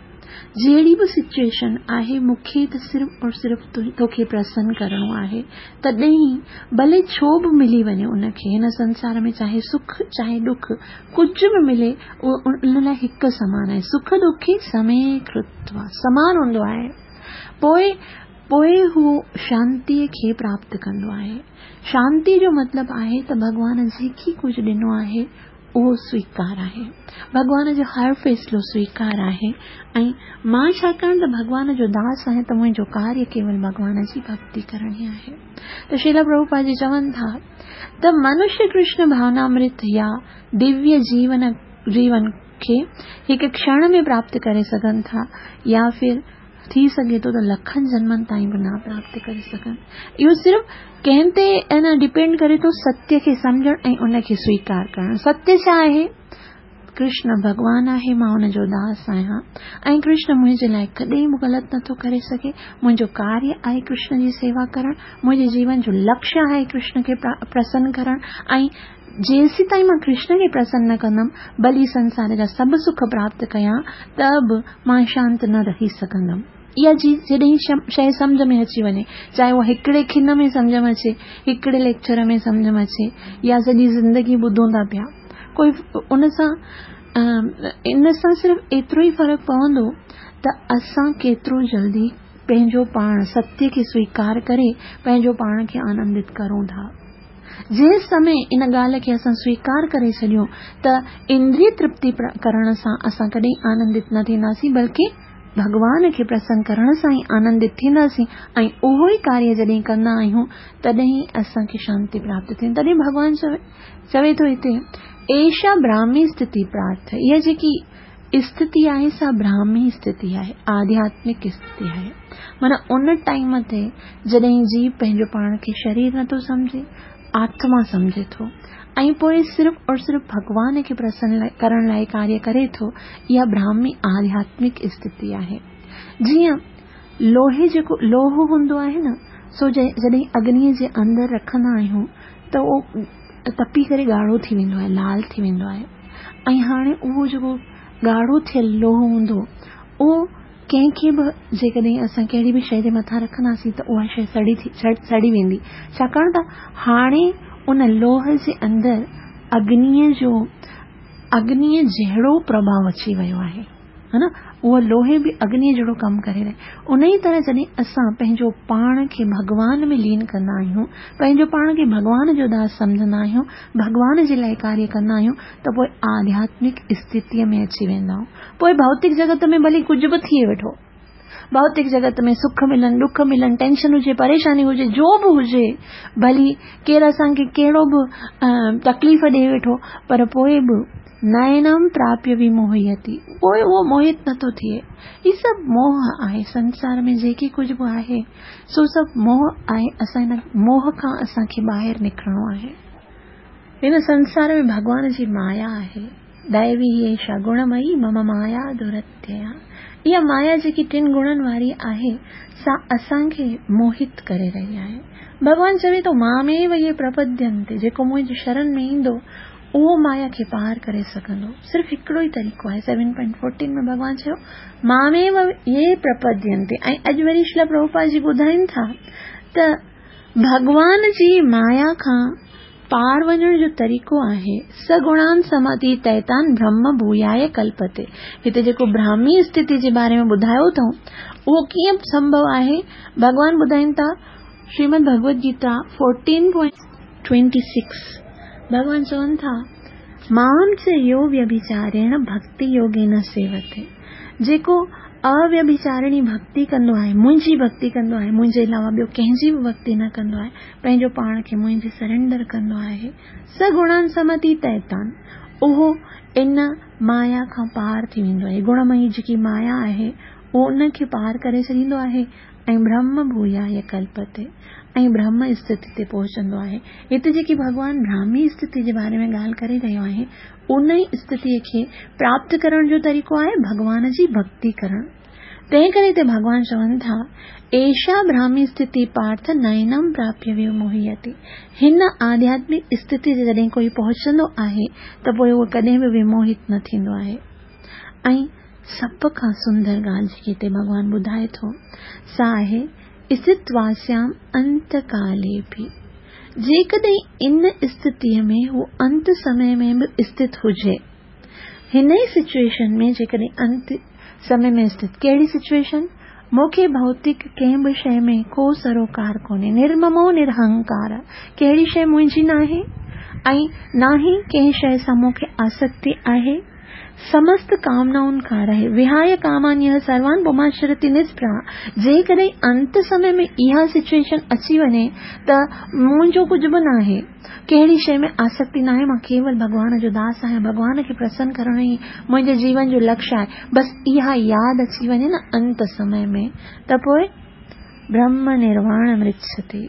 Speaker 1: जहिड़ी बि सिचुएशन आहे मूंखे त सिर्फ़ और सिर्फ़ तोखे प्रसन्न करिणो आहे। तॾहिं भले छो बि मिली वञे उनखे हिन संसार में, चाहे सुख चाहे दुख, कुझु बि मिले उहो उन लाइ हिकु समान आहे। सुख दुखी समय कृत्वा समान हूंदो आहे। पोइ पोइ हू शांतीअ खे प्राप्त कंदो आहे। शांति जो मतिलबु आहे त भॻवान जेकी कुझु ॾिनो आहे उहो स्वीकार आहे, भॻवान जो हर फ़ैसिलो स्वीकार आहे। ऐं मां छाकाणि त भॻवान जो दास आहियां त मुंहिंजो कार्य केवल भॻवान जी भक्ति करणी आहे। त श्रील प्रभुपाद जी चवनि था त मनुष्य कृष्ण भावनामृत या दिव्य जीवन जीवन खे हिकु क्षण में प्राप्त करे सघनि था या फिर थी सघे थो त लखनि जन्मनि ताईं बि न प्राप्त करे सघनि। इहो सिर्फ़ कंहिं ते न डिपेंड करे थो, सत्य खे सम्झणु ऐं उनखे स्वीकार करणु। सत्य छा आहे? कृष्ण भॻवान आहे, मां हुनजो दास आहियां ऐं कृष्ण मुंहिंजे लाइ कॾहिं बि ग़लति नथो करे सघे। मुंहिंजो कार्य आहे कृष्ण जी सेवा करणु, मुंहिंजे जीवन जो लक्ष्य आहे कृष्ण खे प्रसन्न करणु ऐं जेसीं ताईं मां कृष्ण खे प्रसन्न न कंदमि, भली संसार जा सभु सुख प्राप्त कयां त बि मां शांत न रही सघंदमि। इहा जॾहिं शइ सम्झ में अची वञे, चाहे उहा हिकिड़े खिन में सम्झ में अचे, हिकिड़े लेक्चर में सम्झ में अचे या सॼी ज़िंदगी ॿुधूं था पिया, कोई उन सां इन सां सिर्फ़ एतिरो ई फ़र्क़ु पवंदो त असां केतिरो जल्दी पंहिंजो पाण सत्य खे स्वीकार करे पंहिंजो पाण खे आनंदित करूं था। जंहिं समय इन ॻाल्हि खे असां स्वीकार करे छॾियूं त इंद्रिय तृप्ति करण सां असां कॾहिं आनंदित न थींदासीं, बल्कि भॻवान खे प्रसन्न करण सां ई आनंदित थींदासीं ऐं उहो ई कार्य जॾहिं कंदा आहियूं तॾहिं असांखे शांति प्राप्त थींदी। तॾहिं भॻवान चवे चवे थो हिते एषा ब्राह्मी स्थिति प्रार्थ। इहा जेकी स्थिति आहे सा ब्राह्मी स्थिति आहे, आध्यात्मिक स्थिति आहे। माना उन टाइम ते जॾहिं जीव पंहिंजो पाण खे शरीर नथो सम्झे, आत्मा सम्झे थो ऐं पोइ सिर्फ़ और सिर्फ़ भॻवान खे प्रसन्न करण लाइ कार्य करे थो, इहा ब्राह्मी आध्यात्मिक स्थिति आहे। जीअं लोहे जेको लोहो हूंदो आहे न, सो जॾहिं अग्नीअ जे अंदरि रखंदा आहियूं त उहो तपी करे ॻाढ़ो थी वेंदो आहे, लाल थी वेंदो आहे। ऐं हाणे उहो जेको ॻाढ़ो थियल लोहो हूंदो उहो कंहिंखे बि जेकॾहिं असां कहिड़ी बि शइ जे मथां रखंदासीं त उहा शइ सड़ी थी सड़ी वेंदी, छाकाणि त हाणे उन लोह जे अंदरि अग्नीअ जो अग्नीअ जहिड़ो प्रभाव अची वियो आहे, हा न। اهو لوهي به اگنيءَ جهڙو ڪم ڪري رهي. ان ئي طرح جڏهن اسان پنهنجو پاڻ کي ڀڳوان ۾ لين ڪندا آهيون، پنهنجو پاڻ کي ڀڳوان جو داس سمجهندا آهيون، ڀڳوان جي لاءِ ڪاريه ڪندا آهيون، ته پوءِ آڌياتمڪ اسٿتيءَ ۾ اچي ويندا آهيون. پوءِ ڀوتڪ جڳت ۾ ڀلي ڪجهه به ٿئي ويٺو، ڀوتڪ جڳت ۾ سک ملن، ڏک ملن، ٽينشن هجي، پريشاني هجي، جو به هجي، ڀلي ڪير اسان کي ڪهڙو به تڪليف ڏئي ويٺو، پر پوءِ به نينم پراپيه وموهيتي، پوءِ اهو موهت نٿو ٿئي. هي سڀ موهه آهي. سنسار ۾ جيڪي ڪجهه به آهي سو سڀ موهه آهي. اسان هن موهه کان اسان کي ٻاهر نڪرڻو آهي. هن سنسار ۾ ڀڳوان جي مايا آهي. دئوي ايشا گڻمئي مم مايا درتيا. اها مايا جيڪي ٽن گڻن واري آهي سا اسان کي موهت ڪري رهي آهي. ڀڳوان چوي ٿو ماميو يي پرپدينتي، جيڪو منهنجي شرڻ ۾ ايندو اهو مايا کي پار ڪري سگهندو. صرف هڪڙو ئي طريقو آهي. سيون پوائنٽ فورٽين ۾ ڀڳوان چيو ماميو يي پرپدينتي. ۽ اڄ وري شريلا پرڀوپاد جي ٻڌائين ٿا ته ڀڳوان جي مايا کان پار وڃڻ جو طريقو آهي سگڻان سماتيتيتان برهم ڀوياي ڪلپتي. هتي جيڪو براهمي اسٿتي جي باري ۾ ٻڌايو اٿئون اهو ڪيئن سنڀو آهي؟ ڀڳوان ٻڌائين ٿا Shrimad Bhagavad Gita fourteen point twenty six ڀڳوان چون ٿا مام چ يو ويڀچاريڻ ڀڪتي يوگين سيوتي. جيڪو اويڀچارڻي ڀڪتي ڪندو آهي، منهنجي ڀڪتي ڪندو آهي، منهنجي علاوه ٻيو ڪنهن جي به ڀڪتي نه ڪندو آهي، پنهنجو پاڻ کي منهنجي سرينڊر ڪندو آهي، سگڻان سمتيتيتان، اهو ان مايا کان پار ٿي ويندو آهي. گڻمئي جيڪي مايا آهي اهو ان کي پار ڪري ڇڏيندو آهي ۽ برهم ڀوياي ڪلپتي ۽ برهم اسٿتي تي پهچندو آهي. هتي جيڪي ڀڳوان براهمي اسٿتي جي باري ۾ ڳالهه ڪري رهيو آهي ان ئي اسٿتيءَ کي پراپت ڪرڻ جو طريقو آهي ڀڳوان جي ڀڪتي ڪرڻ. تنهن ڪري هتي ڀڳوان چون ٿا ايشا براهمي اسٿتي پارٿ نينم پراپيه وموهيتي. هن آڌياتمڪ اسٿتي تي جڏهن ڪوئي پهچندو آهي ته پوءِ اهو ڪڏهن به وموهت نه ٿيندو آهي. ۽ سڀ کان سندر ڳالهه جيڪي هتي ڀڳوان ٻڌائي ٿو سا آهي اسٿتواسيام انتڪالي به. جيڪڏهن ان اسٿتيءَ ۾ هو انت سمي ۾ به اسٿت هجي، هن ئي سچوئيشن ۾ جيڪڏهن انت سمي ۾ اسٿت، ڪهڙي سچوئيشن؟ مون کي ڀوتڪ ڪنهن به شيءِ ۾ ڪو سروڪار ڪونهي، نرممو نرهنڪار، ڪهڙي شيءِ منهنجي ناهي ۽ نه ئي ڪنهن شيءِ سان مون کي آسڪتي آهي. سمست ڪامنائن کان رهي وهاي ڪامانيه سروان پماشرتي نسپرها. جيڪڏهن انت سمي ۾ اها سچوئيشن اچي وڃي ته منهنجو ڪجهه به ناهي، ڪهڙي شيءِ ۾ آسڪتي ناهي، مان ڪيول ڀڳوان جو داس آهيان، ڀڳوان کي پرسن ڪرڻ ئي منهنجي جيون جو لڪشيه آهي، بس اها ياد اچي وڃي نه انت سمي ۾ ته پوءِ برهم نرواڻ مرڇتي.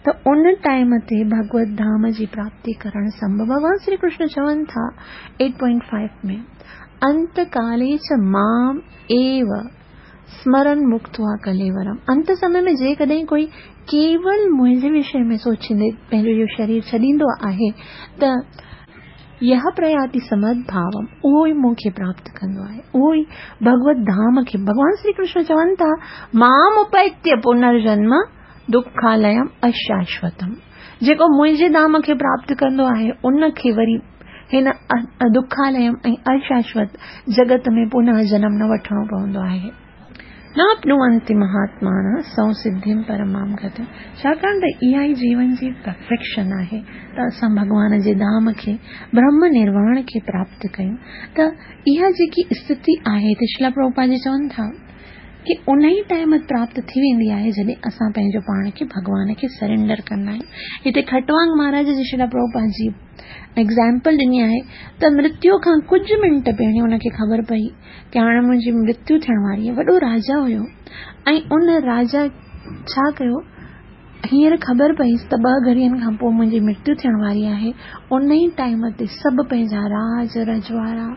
Speaker 1: ته ان ٽائيم تي ڀڳوت ڌام جي پراپتي ڪرڻ سنڀو. ڀڳوان شري ڪرشن چون ٿا ايٽ پوائنٽ فائيو ۾ انتڪالي چ مام ايو سمرن مڪتوا ڪليورم. انت سمي ۾ جيڪڏهن ڪوئي ڪيول منهنجي وشي ۾ سوچيندي پنهنجو اهو شرير ڇڏيندو آهي ته يهه پرياتي سمدڀاوم، اهو ئي مون کي پراپت ڪندو آهي، اهو ئي ڀڳوت ڌام کي. ڀڳوان شري ڪرشن چون ٿا مام اپيتيه پنرجنم دکاليم اشاشوتم. جيڪو منهنجي ڌام کي پراپت ڪندو آهي ان کي وري هن دکاليم ۽ اشاشوت جڳت ۾ پنهه جنم نه وٺڻو پوندو آهي. ناپنوئنتي مهاتمانه سنسڌيم پرمام گتم. ڇاڪاڻ ته اها ئي جيون جي پرفيڪشن آهي ته اسان ڀڳوان جي ڌام کي برهم نرواڻ کي پراپت ڪيون. ته اها جيڪي اسٿتي آهي ته شريلا پرڀوپاد جي چون ٿا ڪه ان ئي ٽائيم پراپت ٿي ويندي آهي جڏهن اسان پنهنجو پاڻ کي ڀڳوان کي سرينڊر ڪندا آهيون. هتي کٽوانگ مهاراج جي شريلا پرڀوپاد جي ايگزامپل ڏني آهي ته مرتيو کان ڪجهه منٽ پهرين ان کي خبر پئي ڪه هاڻي منهنجي مرتيو ٿيڻ واري آهي. وڏو راجا هيو ۽ ان راجا ڇا ڪيو، هينئر خبر پئيس ته ٻه گهڙين کان پوءِ منهنجي مرتيو ٿيڻ واري آهي. ان ئي ٽائيم تي سڀ پنهنجا راج رجواڙا،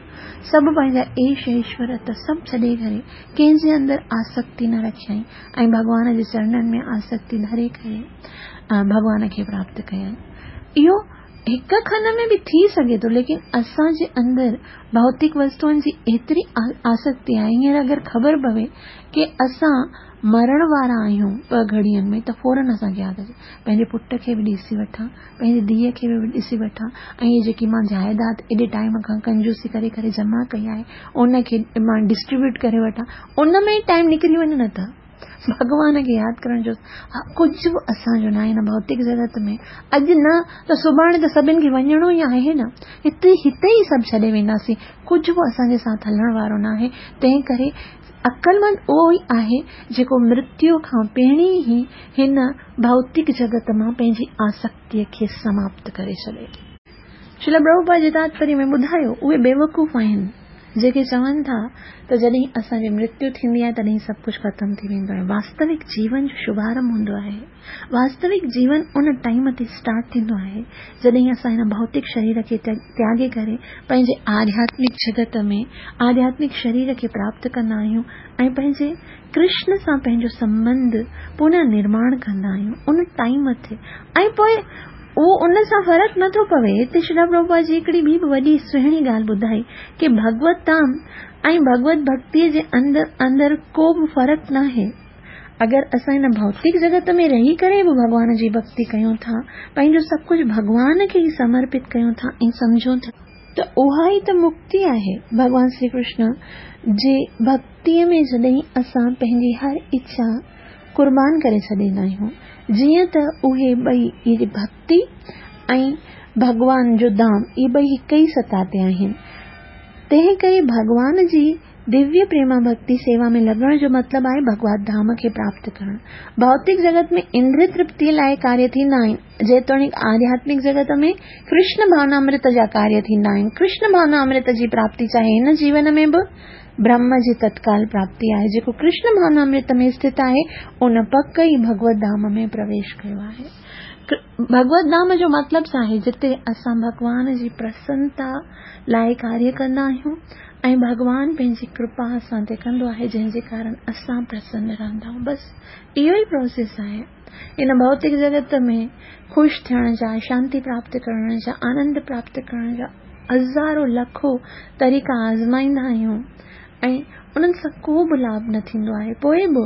Speaker 1: سڀ پنهنجا ايش ايشورت سڀ ڇڏي ڪري ڪنهن جي اندر آسڪتي نه رکيائين ۽ ڀڳوان جي چرڻن ۾ آسڪتي ڌري ڪري ڀڳوان کي پراپت ڪيائين. اهو هڪ کن ۾ به ٿي سگهي ٿو، ليڪن اسان جي اندر ڀوتڪ وستوئن جي ايتري آسڪتي آهي. هينئر اگر خبر پوي ڪه اسان مرڻ وارا آهيون ٻه گهڙين ۾ ته فورن اسان کي ياد اچي پنهنجي پٽ کي به ڏسي وٺان، پنهنجي ڌيءَ کي به ڏسي وٺان ۽ هي جيڪي مان جائداد ايڏي ٽائيم کان ڪنجوسي ڪري ڪري جمع ڪئي آهي ان کي مان ڊسٽريبيوٽ ڪري وٺان، ان ۾ ئي ٽائيم نڪري وڃي نه ته ڀڳوان کي ياد ڪرڻ جو ڪجهه به اسان جو ناهي هن ڀوتڪ جڳت ۾. اڄ نه ته سڀاڻي ته سڀني کي وڃڻو ئي آهي نه، هتي هتي ئي سڀ ڇڏي وينداسين، ڪجهه به اسان جي ساٿ هلڻ وارو ناهي. تنهن ڪري عقلمند اهو ئي آهي جيڪو مرتيو کان پهرين ئي هن ڀوتڪ جڳت مان پنهنجي آسڪتيء کي سماپت ڪري ڇڏي. شريل پرڀوپاد جي تاتپريه ۾ ٻڌايو، اهي بيوقوف آهن جيڪي چون ٿا ته جڏهن اسان جي مرتيو ٿيندي آهي تڏهن سڀ ڪجهه ختم ٿي ويندو آهي. واستوڪ جيون جو شڀارنڀ هوندو آهي. واستوڪ جيون ان ٽائيم تي اسٽارٽ ٿيندو آهي جڏهن اسان هن ڀوتڪ شرير کي تياڳي ڪري پنهنجي آڌياتمڪ جڳت ۾ آڌياتمڪ شرير کي پراپت ڪندا آهيون ۽ پنهنجي ڪرشن سان پنهنجو سنٻنڌ پنه نرماڻ ڪندا آهيون ان ٽائيم تي. ۽ پوءِ اهو ان سان فرق نٿو پوي. هتي شريل پرڀوپاد جي هڪڙي ٻي به وڏي سهڻي ڳالهه ٻڌائي ڪه ڀڳوت ڌام ۽ ڀڳوت ڀڳتيءَ جي اندر اندر ڪو به فرق ناهي. اگر اسان هن ڀوتڪ جڳت ۾ رهي ڪري به ڀڳوان جي ڀڳتي ڪيون ٿا، پنهنجو سڀ ڪجهه ڀڳوان کي ئي سمرپت ڪيون ٿا ۽ سمجهون ٿا ته اها ئي ته مڪتي آهي. ڀڳوان شري ڪرشن جي ڀڳتيءَ ۾ جڏهن اسان پنهنجي هر اڇا قربان ڪري ڇڏيندا آهيون، جيئن ته اهي ٻئي اهي ڀڳتي ۽ ڀڳوان جو ڌام اهي ٻئي هڪ ئي سطح تي آهن. تنهن ڪري ڀڳوان جي دويه پريما ڀڳتي سيوا ۾ لڳڻ جو مطلب آهي ڀڳوت ڌام کي پراپت ڪرڻ. ڀوتڪ جڳت ۾ اندريه ترپتيءَ لاءِ ڪاريه ٿيندا آهن، جيتوڻيڪ آڌياتمڪ جڳت ۾ ڪرشن ڀاونامرت جا ڪاريه ٿيندا آهن. ڪرشن ڀاونامرت جي پراپتي چاهي هن جيون ۾ به برهم جي تتڪال پراپتي آهي. جيڪو ڪرشن ڀاونامرت ۾ اسٿت آهي ان پڪ ئي ڀڳوت ڌام ۾ پرويش ڪيو آهي. ڀڳوت ڌام جو مطلب ڇا آهي؟ جتي اسان ڀڳوان جي پرسنتا لاءِ ڪاريه ڪندا آهيون ۽ ڀڳوان پنهنجي ڪرپا اسان تي ڪندو آهي، جنهن جي ڪارڻ اسان پرسن رهندا آهيون. بس اهو ئي پروسيس آهي. هن ڀوتڪ جڳت ۾ خوش ٿيڻ جا، شانتي پراپت ڪرڻ جا، آنند پراپت ڪرڻ جا هزارو لکو طريقا آزمائيندا آهيون ۽ انهن سان ڪو به لاڀ نه ٿيندو آهي. پوءِ به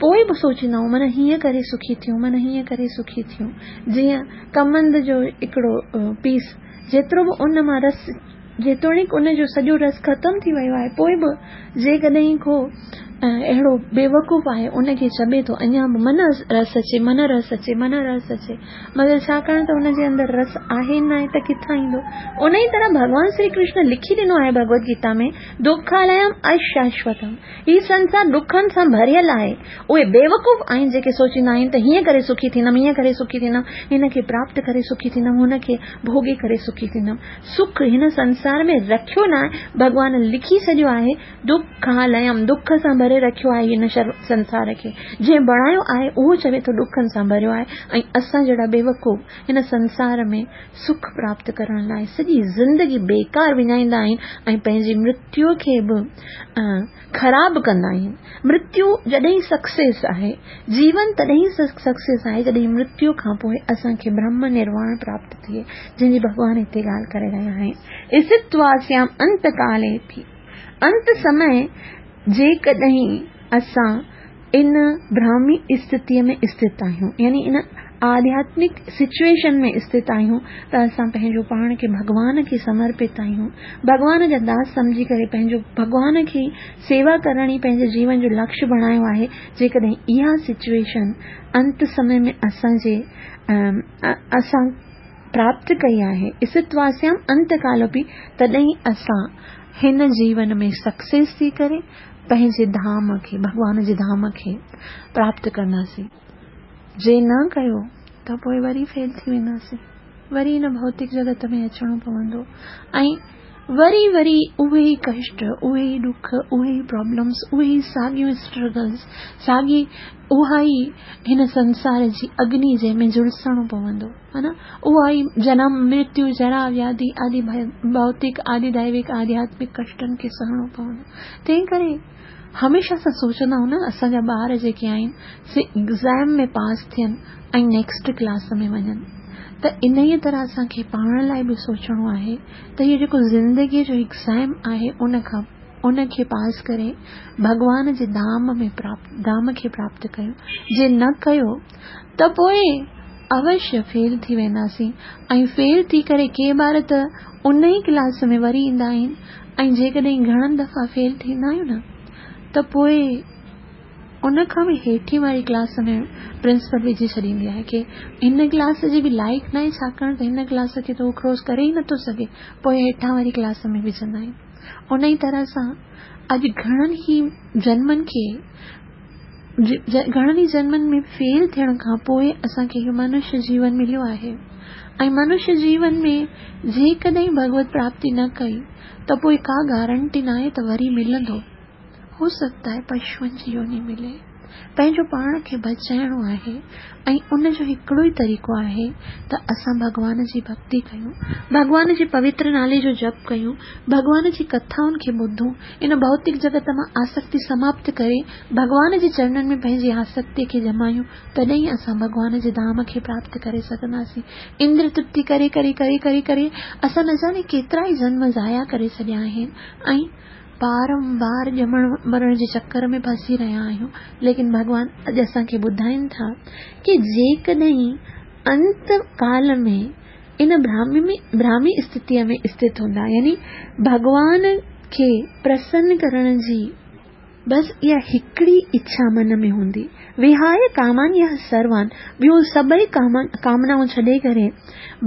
Speaker 1: پوءِ به سوچيندا آهيون معنيٰ هيئن ڪري سکي ٿيون، معنيٰ هيئن ڪري سکي ٿيون. جيئن ڪمند جو هڪڙو پيس جيترو به ان مان رس، جيتوڻيڪ ان جو سڄو رس ختم ٿي ويو آهي، پوءِ به جيڪڏهن ڪو اهڙو بيوقوف آهي ان کي چٻي ٿو اڃا به من رس اچي، من رس اچي، من رس اچي، مگر ڇاڪاڻ ته ان جي اندر رس آهي نه آهي ته ڪٿان ايندو؟ ان ئي طرح ڀڳوان شري ڪرشن لکي ڏنو آهي ڀڳوت گيتا ۾ دکاليم اشاشوتم. هي سنسار ڏکن سان ڀريل آهي. اهي بيوقوف آهن جيڪي سوچيندا آهن ته هيئن ڪري سکي ٿيندم، هيئن ڪري سکي ٿيندم، هن کي پراپت ڪري سکي ٿيندم، هن کي ڀوڳي ڪري سکي ٿيندم. سک هن سنسار ۾ رکيو نه آهي، ڀڳوان لکي ڇڏيو آهي دکاليم، دک سان ڀري رکيو آهي هن سنسار کي. جنهن بڻايو آهي اهو چوي ٿو ڏکن سان ڀريو آهي. ۽ اسان جهڙا بيوقوف هن سنسار ۾ سک پراپت ڪرڻ لاءِ سڄي زندگي بيڪار وڃائيندا آهن ۽ پنهنجي مرتيو کي به خراب ڪندا آهن. مرتيو جڏهن سڪسيس آهي، جيون تڏهن سڪسيس آهي جڏهن مرتيو کان پوءِ اسان کي برهم نرواڻ پراپت ٿئي، جنهن جي ڀڳوان هتي ڳالهه ڪري رهيا آهن. اسٿتواسيام انتڪالي به، انت سمي جيڪڏهن اسان ان برهمي اسٿتيءَ ۾ اسٿت آهيون، يعني ان آڌياتمڪ سچوئيشن ۾ اسٿت آهيون، ته اسان پنهنجو پاڻ کي ڀڳوان کي سمرپت آهيون، ڀڳوان جا داس سمجهي ڪري پنهنجو ڀڳوان کي سيوا ڪرڻ ئي پنهنجي جيون جو لڪشيه بڻايو آهي. جيڪڏهن اها سچوئيشن انت سمي ۾ اسان جي اسان پراپت ڪئي آهي، اسٿتواسيام انتڪالوپي، تڏهن اسان هن جيون ۾ سڪسيس ٿي ڪري پنهنجي ڌام کي، ڀڳوان جي ڌام کي پراپت ڪنداسين. جي نه ڪيو ته پوءِ وري فيل ٿي وينداسين، وري هن ڀوتڪ جڳت ۾ اچڻو پوندو ۽ وري وري اهي ئي ڪشٽ، اهي ئي ڏک، اهي ئي پرابلمس، اهي ئي ساڳيون اسٽرگلس، ساڳي اها ئي هن سنسار جي اگني جنهن ۾ جهلسڻو پوندو، ها نه، اها ئي جنم مرتيو جرا وياڌي آدي ڀوتڪ آدي دئوڪ آڌياتمڪ ڪشٽن کي سهڻو پوندو. تنهن ڪري هميشه اسان سوچندا آهيون نه اسان جا ٻار جيڪي آهن سي ايگزام ۾ پاس ٿين ۽ نيڪسٽ ڪلاس ۾ وڃن، ته ان ئي طرح اسان کي پاڻ لاءِ به سوچڻو آهي ته اهو جيڪو زندگيءَ جو ايگزام آهي ان کان ان کي پاس ڪري ڀڳوان جي ڌام ۾ پراپت ڌام کي پراپت ڪيون. جي نه ڪيو ته پوءِ اوشيه فيل ٿي وينداسين ۽ فيل ٿي ڪري ڪي ٻار ته ان ئي ڪلاس ۾ وري ايندا آهن ۽ جيڪڏهن گهڻن دفعا فيل ٿيندا آهيون نه ته پوءِ ان کان به هيٺين واري ڪلاس ۾ پرنسپل وجهي ڇڏيندي آهي ڪه هن ڪلاس جي به لائق نه آهي، ڇاڪاڻ ته هن ڪلاس کي ته هو ڪراس ڪري ئي نٿو سگهي، پوءِ هيٺان واري ڪلاس ۾ وجهندا آهن. ان ئي طرح سان اڄ گهڻن ئي جنمن کي گهڻن ئي جنمن ۾ فيل ٿيڻ کان پوءِ اسان کي اهو منشيه جيون مليو آهي ۽ منشيه جيون ۾ جيڪڏهن ڀڳوت پراپتي نه ڪئي ته پوءِ ڪا گارنٽي نه آهي ته وري ملندو. هو سگهتا آهي پشوئن جي يوني ملي. پنهنجو پاڻ کي بچائڻو آهي ۽ ان جو هڪڙو ئي طريقو آهي ته اسان ڀڳوان جي ڀڳتي ڪيون، ڀڳوان جي پوتر نالي جو جپ ڪيون، ڀڳوان جي ڪٿائن کي ٻڌون، ان ڀوتڪ جڳت مان آسڪتي سماپت ڪري ڀڳوان جي چرڻن ۾ پنهنجي آسڪتي کي ڄمايون، تڏهن ئي اسان ڀڳوان جي ڌام کي پراپت ڪري سگهنداسين. اندر ترپتي ڪري ڪري ڪري ڪري ڪري اسان نه ڄاڻي ڪيترا ئي جنم ضايع ڪري ڇڏيا آهن ۽ بارمبار ڄمڻ مرڻ جي چڪر ۾ ڦسي رهيا آهيون. ليڪن ڀڳوان اڄ اسان کي ٻڌائين ٿا ڪه جيڪڏهن انت ڪال ۾ ان براهمي براهمي اسٿتيءَ ۾ اسٿت هوندا، يعني ڀڳوان کي پرسن ڪرڻ جي بس اها هڪڙي اڇا من ۾ هوندي، وهاءِ ڪامان يا سروان، ٻيون سڀئي ڪامنائون ڇڏي ڪري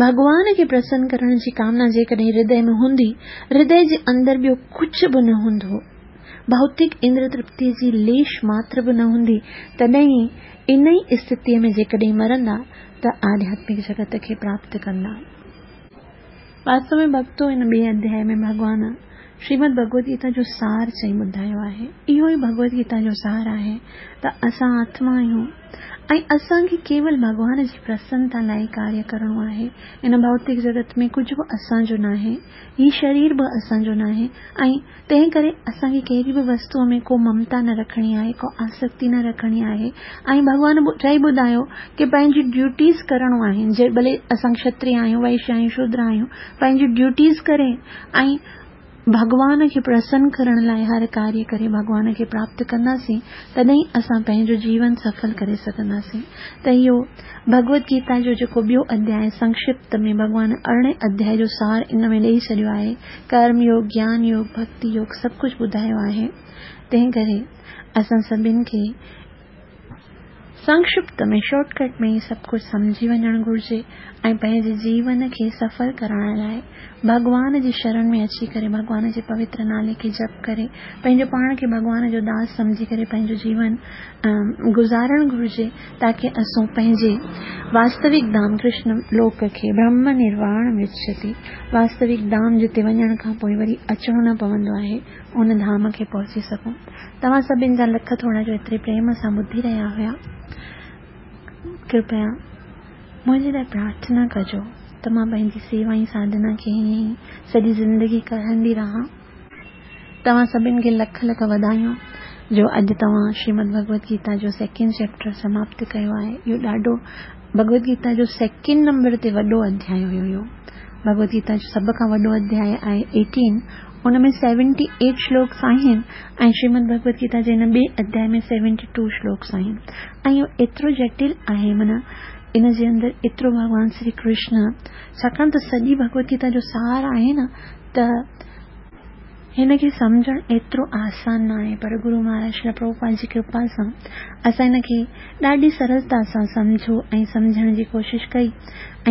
Speaker 1: ڀڳوان کي پرسن ڪرڻ جي ڪامنا جيڪڏهن هردي ۾ هوندي، هردي جي اندر ٻيو ڪجهه به نه هوندو، ڀوتڪ اندر ترپتيءَ جي ليش ماتر به نه هوندي، تڏهن ان ئي اسٿتيءَ ۾ جيڪڏهن مرندا ته آڌياتمڪ جڳت کي پراپت ڪندا. واستو ۾ ڀڳتو ان ٻئي اڌياء ۾ ڀڳوان شريمد ڀڳوت گيتا جو سار چئي ٻڌايو آهي. اهو ئي ڀڳوت گيتا جو سار آهي ته اسان آتما آهيون ۽ اسان کي ڪيول ڀڳوان جي پرسنتا لاءِ ڪاريه ڪرڻو آهي. ان ڀوتڪ جڳت ۾ ڪجهه به اسان جو ناهي، هي شرير به اسان جو ناهي ۽ تنهن ڪري اسان کي ڪهڙي به وستوءَ ۾ ڪو ممتا نه رکڻي آهي، ڪو آسڪتي نه رکڻي آهي. ۽ ڀڳوان چئي ٻڌايو ڪه پنهنجي ڊيوٽيز ڪرڻو آهن، جي ڀلي اسان کشتريه آهيون، وئشيه آهيون، شودر آهيون، پنهنجي ڊيوٽيز ڪري ۽ ڀڳوان کي پرسن ڪرڻ لاءِ هر ڪاريه ڪري ڀڳوان کي پراپت ڪنداسين، تڏهن اسان پنهنجو جيون سڦل ڪري سگهنداسين. ته اهو ڀڳوت گيتا جو جيڪو ٻيو اڌياء سنڪشپت ۾ ڀڳوان ارڙهين اڌياء جو سار ان ۾ ڏيئي ڇڏيو آهي. ڪرم يوگ، گيان يوگ، ڀڳتي يوگ سڀ ڪجهه ٻڌايو آهي. تنهن ڪري اسان سڀني کي سنڪشپت ۾ شارٽ ڪٽ ۾ ئي سڀ ڪجهه سمجهي وڃڻ گهرجي ۽ پنهنجي جيون کي سڦل ڪرائڻ لاءِ ڀڳوان جي شرڻ ۾ اچي ڪري ڀڳوان جي پوتر نالي کي جپ ڪري پنهنجو پاڻ کي ڀڳوان جو داس سمجهي ڪري پنهنجو جيون گذارڻ گهرجي، تاڪه اسان پنهنجي واستوڪ ڌام ڪرشن لوڪ کي برهم نرواڻ مڇتي، واستوڪ ڌام جتي وڃڻ کان پوءِ وري اچڻو نه پوندو آهي، ان ڌام کي پهچي سگهون. توهان سڀني جا لک ٿورا جو ايتري پريم سان ٻڌي رهيا هئا. ڪرپيا منهنجي لاءِ پرارٿنا ڪجو ته مان پنهنجي سيوا ۽ ساڌنا کي ائين ئي سڄي زندگي ڪرندي رهان. توهان سڀني کي لک لک وڌايون جو اڄ توهان شريمد ڀڳوت گيتا جو سيڪنڊ چيپٽر سماپت ڪيو آهي. اهو ڏاڍو ڀڳوت گيتا جو سيڪنڊ نمبر تي وڏو اڌياء هيو. اهو ڀڳوت گيتا جو سڀ کان وڏو اڌياء آهي ايٽين، ان ۾ سيونٽي ايٽ شلوڪس آهن ۽ شريمد ڀڳوت گيتا جي هن ٻئي اڌياء ۾ سيونٽي ٽو شلوڪس آهن. ۽ اهو ايترو جٽل آهي، معنيٰ ان جي اندر ايترو ڀڳوان شري ڪرشن، ڇاڪاڻ ته سڄي ڀڳوت گيتا جو سار آهي نه، ته هن کي سمجهڻ ايترو آسان نه آهي، پر گرو مهاراج شري پرڀوپاد جي ڪرپا سان اسان هن کي ڏاڍي سرلتا سان سمجهو ۽ سمجهڻ جي ڪوشش ڪئي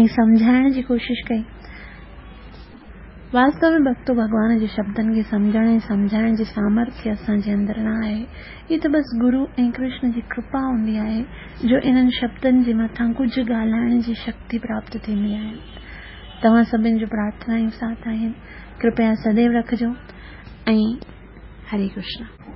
Speaker 1: ۽ سمجهائڻ جي ڪوشش ڪئي. واستو ۾ ڀڳتو ڀڳوان جي شبدن کي سمجهڻ ۽ سمجهائڻ جي سامرٿيه اسان جي اندر نه آهي. هي ته بس گرو ۽ ڪرشن جي ڪرپا هوندي آهي جو انهن شبدن جي مٿان ڪجهه ڳالهائڻ جي شڪتي پراپت ٿيندي آهي. توهان سڀني جو پرارٿنا ساٿ آهن، ڪرپيا سديو رکجو ۽ هري ڪرشن.